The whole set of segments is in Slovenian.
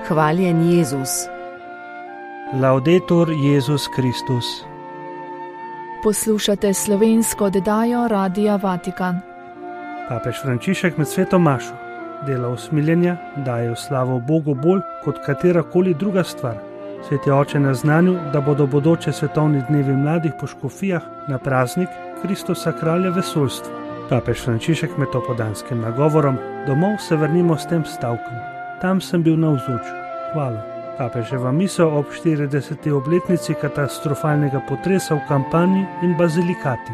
Hvaljen Jezus. Laudetur Jezus Kristus. Poslušate slovensko oddajo Radia Vatikan. Papež Frančišek med sveto mašo dela usmiljenja daje v slavo Bogu bolj kot katerakoli druga stvar. Sveti oče na znanju, da bodo bodoče svetovni dnevi mladih po škofijah na praznik Kristusa kralja vesoljstva. Papež Frančišek med topodanskim nagovorom: domov se vrnimo s tem stavkom. Tam sem bil navzoč. Hvala. Papeževa misel ob 40. obletnici katastrofalnega potresa v Kampanji in Bazilikati.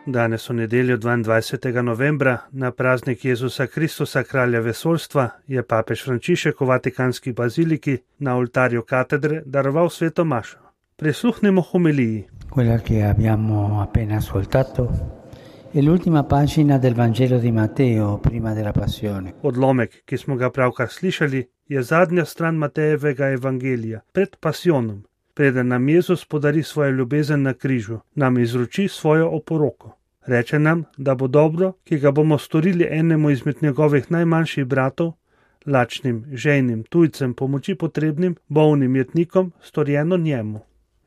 Danes v nedeljo 22. novembra, na praznik Jezusa Kristusa kralja vesoljstva, je papež Frančišek v Vatikanski baziliki na oltarju katedre daroval sveto mašo. Prisluhnimo homiliji. Quella che abbiamo appena ascoltato è l'ultima pagina del Vangelo di Matteo prima della passione. Odlomek, ki smo ga pravkar slišali, je zadnja stran Matejevega evangelija pred pasijonom. Preden nam Jezus podari svojo ljubezen na križu, nam izroči svojo oporoko. Reče nam, da bo dobro, ki ga bomo storili enemu izmed njegovih najmanjših bratov, lačnim, žejnim, tujcem, pomoči potrebnim, bolnim jetnikom, storjeno njemu.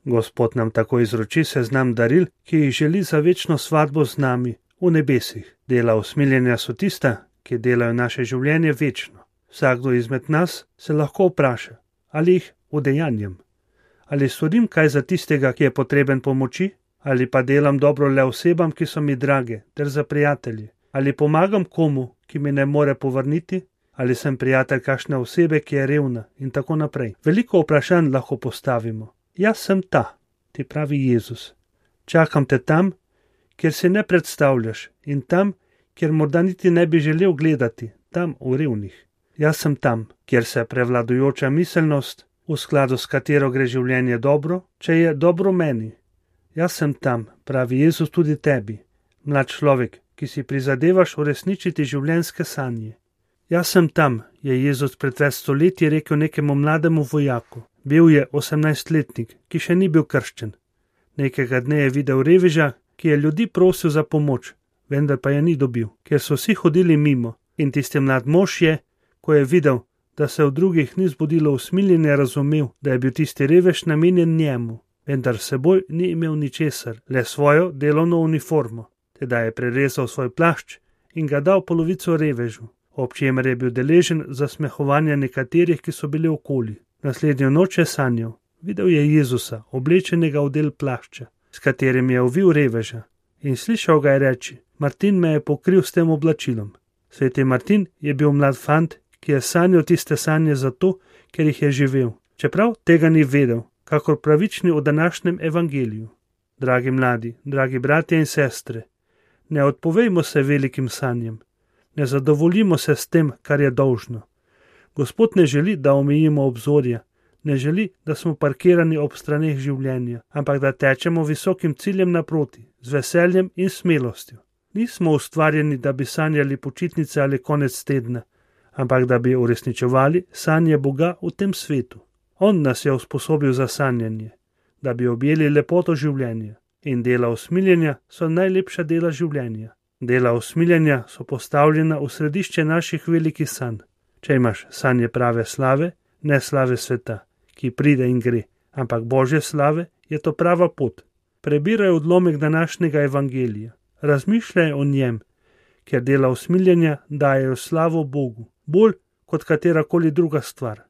Gospod nam tako izroči seznam daril, ki jih želi za večno svatbo z nami v nebesih. Dela usmiljenja so tista, ki delajo naše življenje večno. Vsakdo izmed nas se lahko vpraša, ali jih udejanjem. Ali storim kaj za tistega, ki je potreben pomoči, ali pa delam dobro le osebam, ki so mi drage, ter za prijatelji, ali pomagam komu, ki mi ne more povrniti, ali sem prijatelj kakšne osebe, ki je revna in tako naprej. Veliko vprašanj lahko postavimo. Jaz sem ta, ti pravi Jezus. Čakam te tam, kjer si ne predstavljaš, in tam, kjer morda niti ne bi želel gledati, tam v revnih. Jaz sem tam, kjer se prevladujoča miselnost, v skladu s katero gre življenje dobro, če je dobro meni. Jaz sem tam, pravi Jezus tudi tebi, mlad človek, ki si prizadevaš uresničiti življenjske sanje. Jaz sem tam, je Jezus pred več stoletji rekel nekemu mlademu vojaku. Bil je 18-letnik, ki še ni bil krščen. Nekega dne je videl reveža, ki je ljudi prosil za pomoč, vendar pa je ni dobil, ker so vsi hodili mimo. In tisti mlad mož je, ko je videl, da se v drugih ni zbudilo usmiljenje, razumel, da je bil tisti revež namenjen njemu, vendar seboj ni imel ničesar, le svojo delovno uniformo. Teda je prerezal svoj plašč in ga dal polovico revežu, ob čemer je bil deležen zasmehovanja nekaterih, ki so bili okoli. Naslednjo noč je sanjal. Videl je Jezusa, oblečenega v del plašča, s katerim je ovil reveža, in slišal ga je reči: Martin me je pokril s tem oblačilom. Sveti Martin je bil mlad fant, ki je sanjal tiste sanje zato, ker jih je živel, čeprav tega ni vedel, kakor pravični v današnjem evangeliju. Dragi mladi, dragi bratje in sestre, ne odpovejmo se velikim sanjem, ne zadovoljimo se s tem, kar je dolžno. Gospod ne želi, da omejimo obzorja, ne želi, da smo parkirani ob straneh življenja, ampak da tečemo visokim ciljem naproti, z veseljem in smelostjo. Nismo ustvarjeni, da bi sanjali počitnice ali konec tedna, ampak da bi uresničevali sanje Boga v tem svetu. On nas je usposobil za sanjanje, da bi objeli lepoto življenja. In dela usmiljenja so najlepša dela življenja. Dela usmiljenja so postavljena v središče naših velikih sanj. Če imaš sanje prave slave, ne slave sveta, ki pride in gre, ampak Božje slave, je to prava pot. Prebiraj odlomek današnjega evangelija. Razmišljaj o njem, ker dela usmiljenja dajejo slavo Bogu, bolj kot katerakoli druga stvar.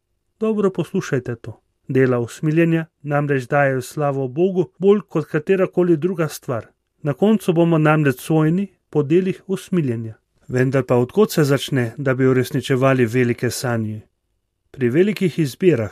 Dobro poslušajte to. Dela usmiljenja namreč dajejo slavo Bogu, bolj kot katerakoli druga stvar. Na koncu bomo namreč sojeni po delih usmiljenja. Vendar pa odkot se začne, da bi uresničevali velike sanje? Pri velikih izbirah.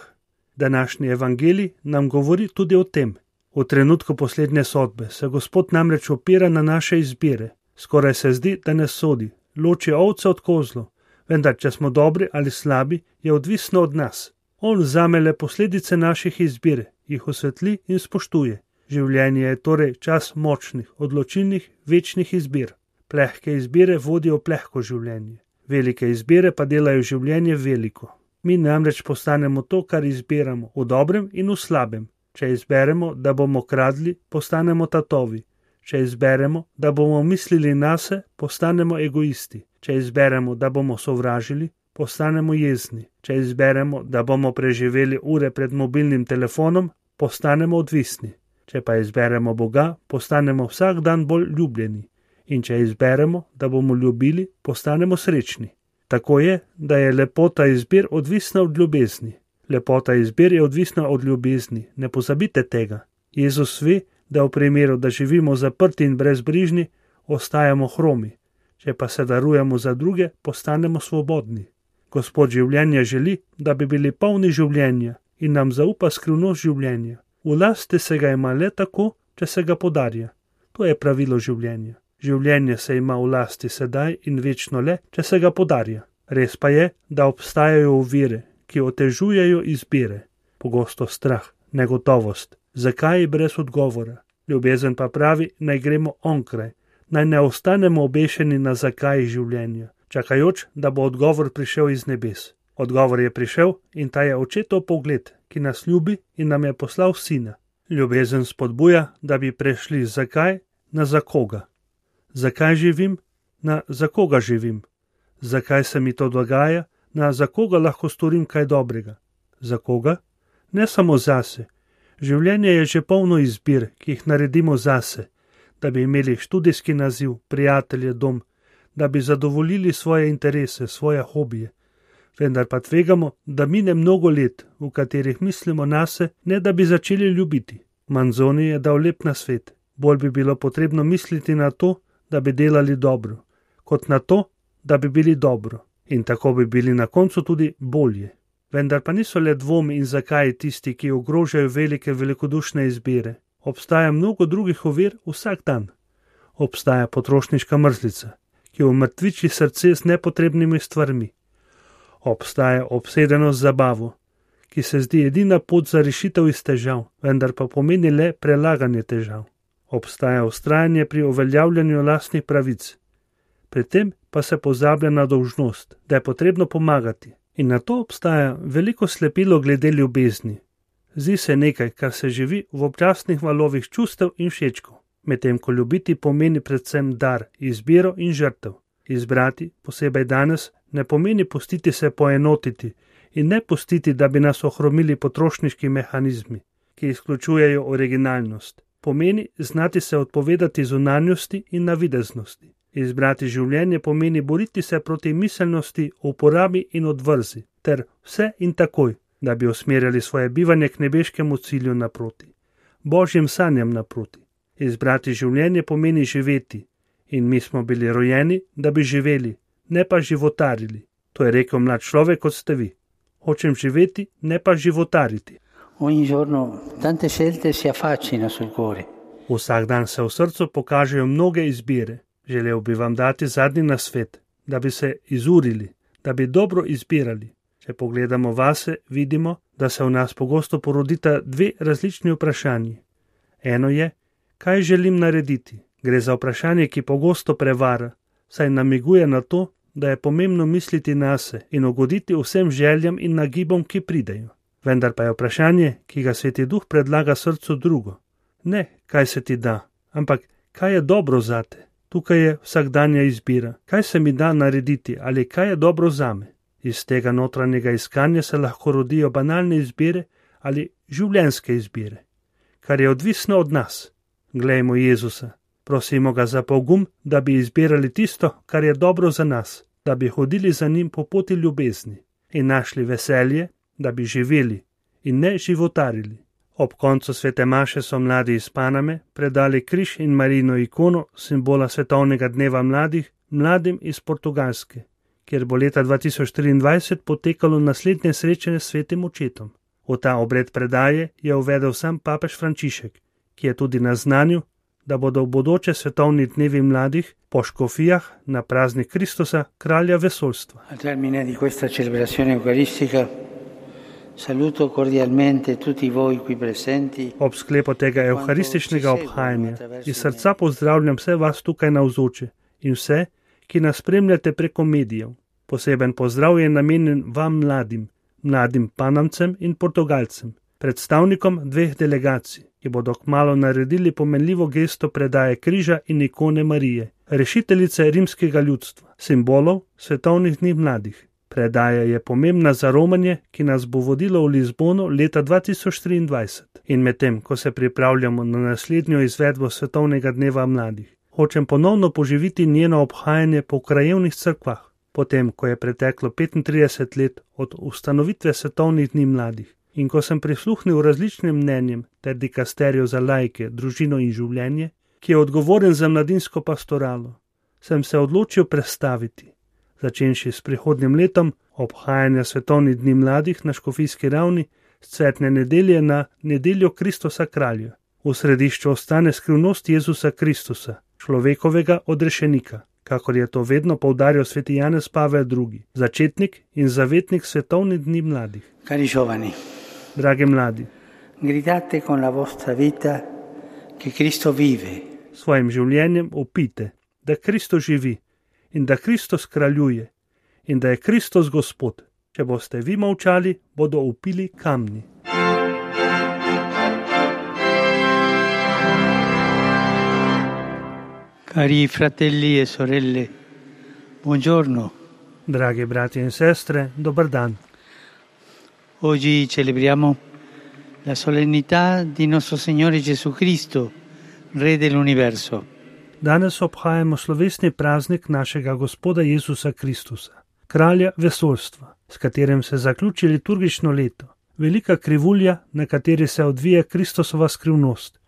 Današnji evangelij nam govori tudi o tem. V trenutku poslednje sodbe se Gospod namreč opira na naše izbire. Skoraj se zdi, da ne sodi, loči ovce od kozlov, vendar če smo dobri ali slabi, je odvisno od nas. On vzame le posledice naših izbir, jih osvetli in spoštuje. Življenje je torej čas močnih, odločilnih, večnih izbir. Plehke izbire vodijo plehko življenje, velike izbire pa delajo življenje veliko. Mi namreč postanemo to, kar izbiramo, v dobrem in v slabem. Če izberemo, da bomo kradli, postanemo tatovi. Če izberemo, da bomo mislili nase, postanemo egoisti. Če izberemo, da bomo sovražili, postanemo jezni. Če izberemo, da bomo preživeli ure pred mobilnim telefonom, postanemo odvisni. Če pa izberemo Boga, postanemo vsak dan bolj ljubljeni. In če izberemo, da bomo ljubili, postanemo srečni. Tako je, da je lepota izbir odvisna od ljubezni. Lepota izbir je odvisna od ljubezni. Ne pozabite tega. Jezus ve, da v primeru, da živimo zaprti in brezbrižni, ostajamo hromi. Če pa se darujemo za druge, postanemo svobodni. Gospod življenja želi, da bi bili polni življenja in nam zaupa skrivnost življenja. V lasti se ga ima le tako, če se ga podarja. To je pravilo življenja. Življenje se ima v lasti sedaj in večno le, če se ga podarja. Res pa je, da obstajajo ovire, ki otežujejo izbire. Pogosto strah, negotovost, zakaj brez odgovora. Ljubezen pa pravi, naj gremo onkraj, naj ne ostanemo obešeni na zakaj življenja, čakajoč, da bo odgovor prišel iz nebes. Odgovor je prišel in ta je očetov pogled, ki nas ljubi in nam je poslal sina. Ljubezen spodbuja, da bi prešli z zakaj na za koga. Zakaj živim? Na za koga živim. Zakaj se mi to dogaja? Na za koga lahko storim kaj dobrega. Za koga? Ne samo zase. Življenje je že polno izbir, ki jih naredimo zase, da bi imeli študijski naziv, prijatelje, dom, da bi zadovoljili svoje interese, svoje hobije. Vendar pa tvegamo, da mine mnogo let, v katerih mislimo nase, ne da bi začeli ljubiti. Manzoni je dal lep nasvet. Bolj bi bilo potrebno misliti na to, da bi delali dobro, kot na to, da bi bili dobro. In tako bi bili na koncu tudi bolje. Vendar pa niso le dvomi in zakaj tisti, ki ogrožajo velike velikodušne izbire. Obstaja mnogo drugih ovir vsak dan. Obstaja potrošniška mrzlica, ki umrtviči srce z nepotrebnimi stvarmi. Obstaja obsedenost z zabavo, ki se zdi edina pot za rešitev iz težav, vendar pa pomeni le prelaganje težav. Obstaja vztrajanje pri uveljavljanju lastnih pravic. Pri tem pa se pozablja na dolžnost, da je potrebno pomagati. In na to obstaja veliko slepilo glede ljubezni. Zdi se nekaj, kar se živi v občasnih valovih čustev in všečkov, medtem ko ljubiti pomeni predvsem dar, izbiro in žrtev. Izbrati, posebej danes, ne pomeni pustiti se poenotiti in ne pustiti, da bi nas ohromili potrošniški mehanizmi, ki izključujejo originalnost. Pomeni znati se odpovedati zunanjosti in navideznosti. Izbrati življenje pomeni boriti se proti miselnosti, uporabi in odvrzi, ter vse in takoj, da bi usmerjali svoje bivanje k nebeškemu cilju naproti, božjim sanjam naproti. Izbrati življenje pomeni živeti in mi smo bili rojeni, da bi živeli, ne pa životarili. To je rekel mlad človek, kot ste vi. Hočem živeti, ne pa životariti. Ogni giorno tante scelte si affacciano sul cuore. Vsak dan se v srcu pokažejo mnoge izbire. Želel bi vam dati zadnji nasvet, da bi se izurili, da bi dobro izbirali. Če pogledamo vase, vidimo, da se v nas pogosto porodita dve različni vprašanji. Eno je, kaj želim narediti? Gre za vprašanje, ki pogosto prevara, saj namiguje na to, da je pomembno misliti nase in ugoditi vsem željam in nagibom, ki pridejo. Vendar pa je vprašanje, ki ga Sveti Duh predlaga srcu drugo. Ne, kaj se ti da, ampak kaj je dobro zate. Tukaj je vsakdanja izbira, kaj se mi da narediti ali kaj je dobro zame. Iz tega notranjega iskanja se lahko rodijo banalne izbire ali življenjske izbire, kar je odvisno od nas. Glejmo Jezusa, prosimo ga za pogum, da bi izbirali tisto, kar je dobro za nas, da bi hodili za njim po poti ljubezni in našli veselje, da bi živeli in ne životarili. Ob koncu svete maše so mladi iz Paname predali križ in Marijino ikono, simbola svetovnega dneva mladih, mladim iz Portugalske, kjer bo leta 2023 potekalo naslednje srečanje s svetim očetom. V ta obred predaje je uvedel sam papež Frančišek, ki je tudi naznanil, da bodo v bodoče svetovni dnevi mladih po škofijah na praznik Kristusa, kralja vesoljstva. Al termine di questa celebrazione eucaristica saluto cordialmente tutti voi qui presenti. Ob sklepu tega evharističnega obhajanja iz srca pozdravljam vse vas tukaj navzoče in vse, ki nas spremljate preko medijev. Poseben pozdrav je namenjen vam mladim Panamcem in Portugalcem, predstavnikom dveh delegacij, ki bodo kmalu naredili pomenljivo gesto predaje križa in ikone Marije, rešiteljice rimskega ljudstva, simbolov svetovnih dni mladih. Predaja je pomembna za romanje, ki nas bo vodilo v Lizbono leta 2023. In medtem, ko se pripravljamo na naslednjo izvedbo Svetovnega dneva mladih, hočem ponovno poživiti njeno obhajanje po krajevnih cerkvah, potem, ko je preteklo 35 let od ustanovitve Svetovnih dni mladih in ko sem prisluhnil različnim mnenjem ter dikasteriju za laike, družino in življenje, ki je odgovoren za mladinsko pastoralo, sem se odločil prestaviti, začenši s prihodnjim letom obhajanja Svetovnih dni mladih na škofijski ravni, s cvetne nedelje na nedeljo Kristusa kralja. V središču ostane skrivnost Jezusa Kristusa, človekovega odrešenika, kakor je to vedno poudarjal sveti Janez Pavel II., začetnik in zavetnik Svetovnih dni mladih. Cari giovani, dragi mladi, gridate con la vostra vita che Cristo vive. Svojim življenjem opite, da Kristus živi in da Kristus kraljuje in da je Kristus Gospod. Če boste vi molčali, bodo vpili kamni. Cari fratelli e sorelle, buongiorno. Dragi brati in sestre, dober dan. Oggi celebriamo la solennità di nostro Signore Gesù Cristo, Re dell'universo. Danes obhajamo slovesni praznik našega Gospoda Jezusa Kristusa, kralja vesoljstva, s katerim se zaključi liturgično leto, velika krivulja, na kateri se odvija Kristusova skrivnost,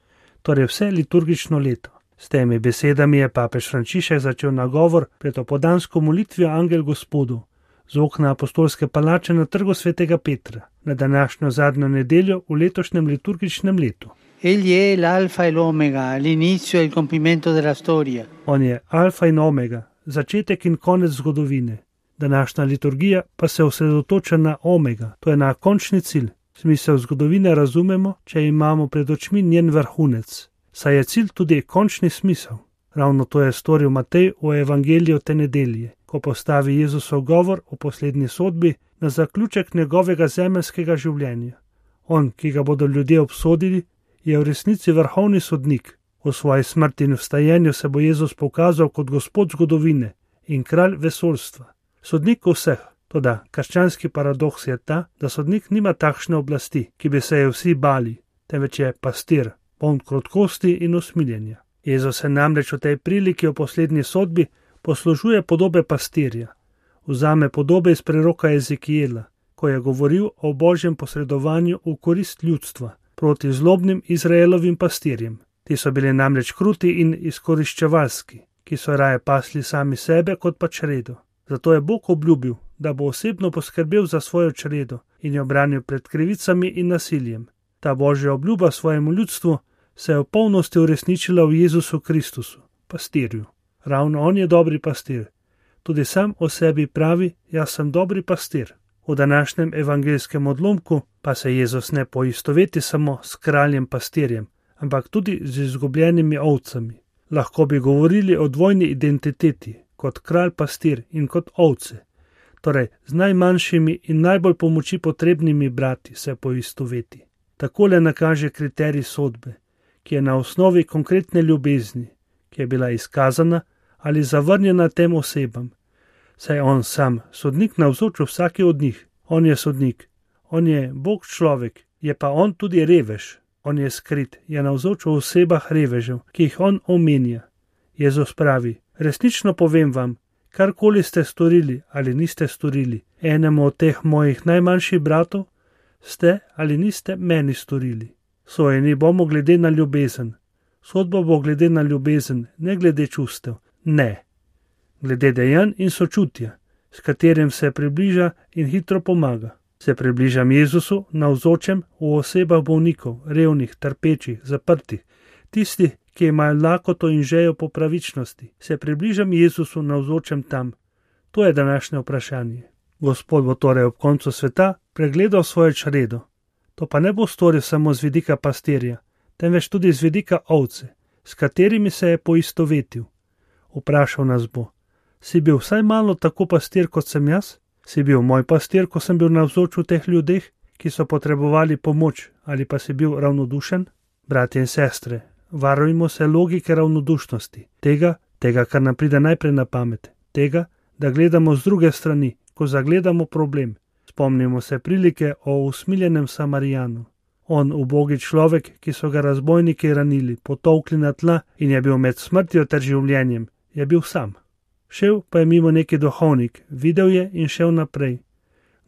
torej vse liturgično leto. S temi besedami je papež Frančišek začel nagovor pred opoldansko molitvijo Angel Gospodu z okna apostolske palače na trgu svetega Petra, na današnjo zadnjo nedeljo v letošnjem liturgičnem letu. Egli è l'alfa e l'omega, l'inizio e il compimento della storia. On je alfa in omega, začetek in konec zgodovine. Današnja liturgija pa se osredotoča na omega, to je na končni cilj. Smisel zgodovine razumemo, če imamo pred očmi njen vrhunec, saj je cilj tudi končni smisel. Ravno to je storil Matej v evangeliju te nedelje, ko postavi Jezusov govor o poslednji sodbi na zaključek njegovega zemeljskega življenja. On, ki ga bodo ljudje obsodili, je v resnici vrhovni sodnik. V svoji smrti in vstajenju se bo Jezus pokazal kot Gospod zgodovine in kralj vesoljstva. Sodnik vseh, toda krščanski paradoks je ta, da sodnik nima takšne oblasti, ki bi se je vsi bali, temveč je pastir, poln krotkosti in usmiljenja. Jezus se namreč v tej priliki o poslednji sodbi poslužuje podobe pastirja. Vzame podobe iz preroka Ezekijela, ko je govoril o božjem posredovanju v korist ljudstva proti zlobnim Izraelovim pastirjem. Ti so bili namreč kruti in izkoriščevalski, ki so raje pasli sami sebe kot pa čredo. Zato je Bog obljubil, da bo osebno poskrbel za svojo čredo in jo branil pred krivicami in nasiljem. Ta božja obljuba svojemu ljudstvu se je v polnosti uresničila v Jezusu Kristusu, pastirju. Ravno on je dobri pastir. Tudi sam o sebi pravi, jaz sem dobri pastir. V današnjem evangelskem odlomku pa se Jezus ne poistoveti samo s kraljem pastirjem, ampak tudi z izgubljenimi ovcami. Lahko bi govorili o dvojni identiteti, kot kralj pastir in kot ovce. Torej, z najmanjšimi in najbolj pomoči potrebnimi brati se poistoveti. Takole nakaže kriterij sodbe, ki je na osnovi konkretne ljubezni, ki je bila izkazana ali zavrnjena tem osebam. Saj on sam, sodnik navzoč vsaki od njih. On je sodnik, on je Bog človek, je pa on tudi revež. On je skrit, je navzoč v osebah revežev, ki jih on omenja. Jezus pravi, resnično povem vam, karkoli ste storili ali niste storili enemu od teh mojih najmanjših bratov, ste ali niste meni storili. Sojeni bomo glede na ljubezen. Sodba bo glede na ljubezen, ne glede čustev. Ne. Glede dejanj in sočutja, s katerim se približa in hitro pomaga. Se približam Jezusu navzočem v osebah bolnikov, revnih, trpečih, zaprtih, tistih, ki imajo lakoto in žejo po pravičnosti. Se približam Jezusu navzočem tam. To je današnje vprašanje. Gospod bo torej ob koncu sveta pregledal svojo čredo. To pa ne bo storil samo z vidika pastirja, temveč tudi z vidika ovce, s katerimi se je poistovetil. Vprašal nas bo, si bil vsaj malo tako pastir, kot sem jaz? Si bil moj pastir, ko sem bil navzoč v teh ljudeh, ki so potrebovali pomoč, ali pa si bil ravnodušen? Bratje in sestre, varujmo se logike ravnodušnosti, tega, kar nam pride najprej na pamet, tega, da gledamo z druge strani, ko zagledamo problem. Spomnimo se prilike o usmiljenem Samarijanu. On, ubogi človek, ki so ga razbojniki ranili, potolkli na tla in je bil med smrtjo ter življenjem, je bil sam. Šel pa je mimo neki duhovnik, videl je in šel naprej.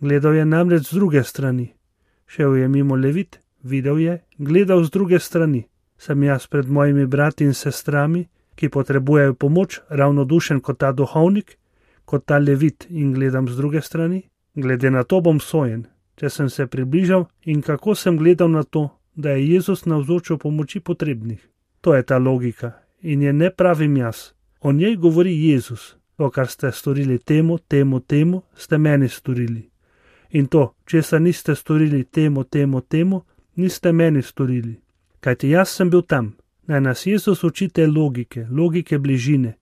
Gledal je namreč z druge strani. Šel je mimo Levit, videl je, gledal z druge strani. Sem jaz pred mojimi brati in sestrami, ki potrebujejo pomoč, ravnodušen kot ta duhovnik, kot ta Levit in gledam z druge strani? Glede na to bom sojen, če sem se približal in kako sem gledal na to, da je Jezus navzočil pomoči potrebnih. To je ta logika in je ne pravim jaz. O njej govori Jezus. To, kar ste storili temu, ste meni storili. In to, česar niste storili temu, niste meni storili. Kajti jaz sem bil tam. Naj nas Jezus uči te logike bližine,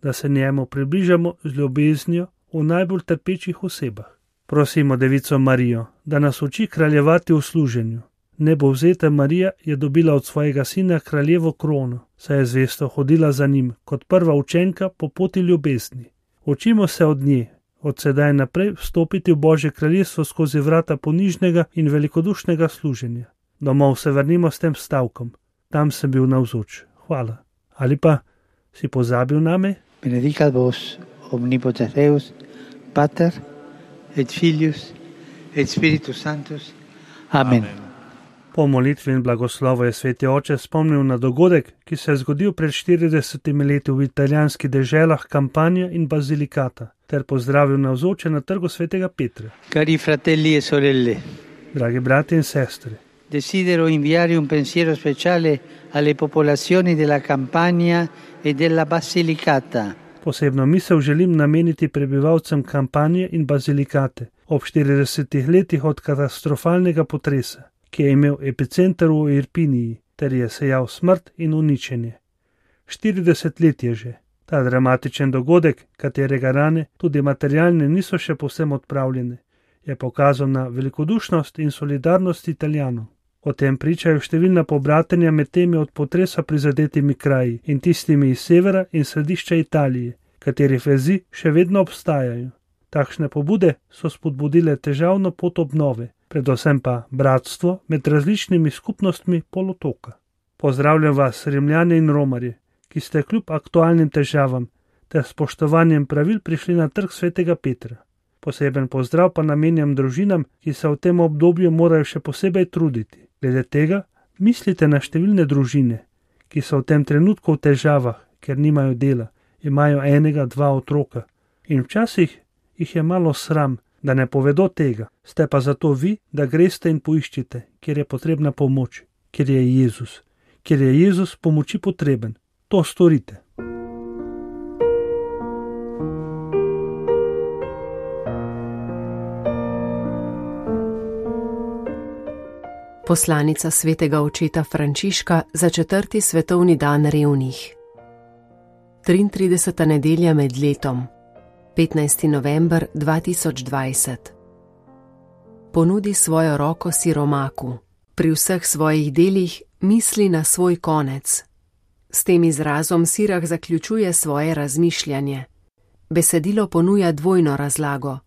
da se njemu približamo z ljubeznijo v najbolj trpečih osebah. Prosimo Devico Marijo, da nas uči kraljevati v služenju. Nebovzeta Marija je dobila od svojega sina kraljevo krono, saj je zvesto hodila za njim kot prva učenka po poti ljubezni. Učimo se od nje, od sedaj naprej vstopiti v Božje kraljestvo skozi vrata ponižnega in velikodušnega služenja. Domov se vrnimo s tem stavkom. Tam sem bil navzoč. Hvala. Ali pa si pozabil name? Benedicat vos omnipotens Deus, Pater et Filius et Spiritus Sanctus. Amen. Po molitvi in blagoslovu je sveti oče spomnil na dogodek, ki se je zgodil pred 40 leti v italijanskih deželah Campania in Basilicata, ter pozdravil navzoče na trgu svetega Petra. Cari fratelli e sorelle, dragi brati in sestre, desidero inviare un pensiero speciale alle popolazioni della Campania e della Basilicata. Posebno misel želim nameniti prebivalcem Campanje in Basilikate ob 40 letih od katastrofalnega potresa, ki je imel epicenter v Irpiniji, ter je sejal smrt in uničenje. 40 let je že. Ta dramatičen dogodek, katerega rane, tudi materialne, niso še povsem odpravljene, je pokazal na velikodušnost in solidarnost Italijanov. O tem pričajo številna pobratenja med temi od potresa prizadetimi kraji in tistimi iz severa in središča Italije, katerih vezi še vedno obstajajo. Takšne pobude so spodbudile težavno pot obnove, predvsem pa bratstvo med različnimi skupnostmi polotoka. Pozdravljam vas, Rimljane in Romarje, ki ste kljub aktualnim težavam ter spoštovanjem pravil prišli na trg svetega Petra. Poseben pozdrav pa namenjam družinam, ki se v tem obdobju morajo še posebej truditi. Glede tega, mislite na številne družine, ki so v tem trenutku v težavah, ker nimajo dela, imajo 1-2 otroka in včasih jih je malo sram, da ne povedo tega. Ste pa zato vi, da greste in poiščite, kjer je potrebna pomoč, kjer je Jezus pomoči potreben. To storite. Poslanica svetega očeta Frančiška za 4. svetovni dan revnih. 33. nedelja med letom, 15. november 2020. Ponudi svojo roko siromaku, pri vseh svojih delih misli na svoj konec. S tem izrazom Sirah zaključuje svoje razmišljanje. Besedilo ponuja dvojno razlago.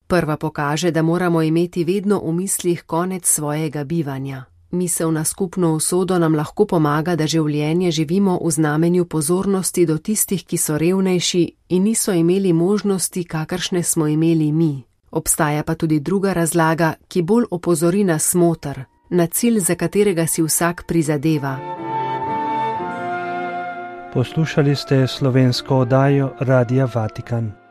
Prva pokaže, da moramo imeti vedno v mislih konec svojega bivanja. Misel na skupno usodo nam lahko pomaga, da življenje živimo v znamenju pozornosti do tistih, ki so revnejši in niso imeli možnosti, kakršne smo imeli mi. Obstaja pa tudi druga razlaga, ki bolj opozori na smoter, na cilj, za katerega si vsak prizadeva. Poslušali ste slovensko oddajo Radia Vatikan.